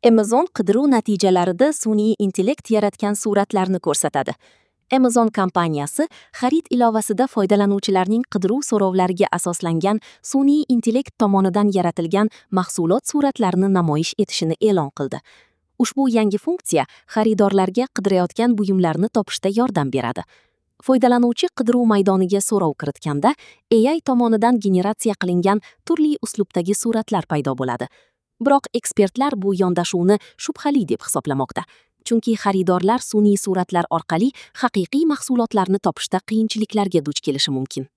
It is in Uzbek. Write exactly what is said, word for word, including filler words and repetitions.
Amazon qidiruv natijalarida sun'iy intellekt yaratgan suratlarni ko'rsatadi. Amazon kompaniyasi xarid ilovasida foydalanuvchilarning qidiruv so'rovlariga asoslangan sun'iy intellekt tomonidan yaratilgan mahsulot suratlarini namoyish etishini e'lon qildi. Ushbu yangi funksiya xaridorlarga qidirayotgan buyumlarni topishda yordam beradi. Foydalanuvchi qidiruv maydoniga so'rov kiritganda A I tomonidan generatsiya qilingan turli uslubdagi suratlar paydo bo'ladi. Biroq ekspertlar bu yondashuvni shubhali deb hisoblamoqda. Chunki xaridorlar sun'iy suratlar orqali haqiqiy mahsulotlarni topishda qiyinchiliklarga duch kelishi mumkin.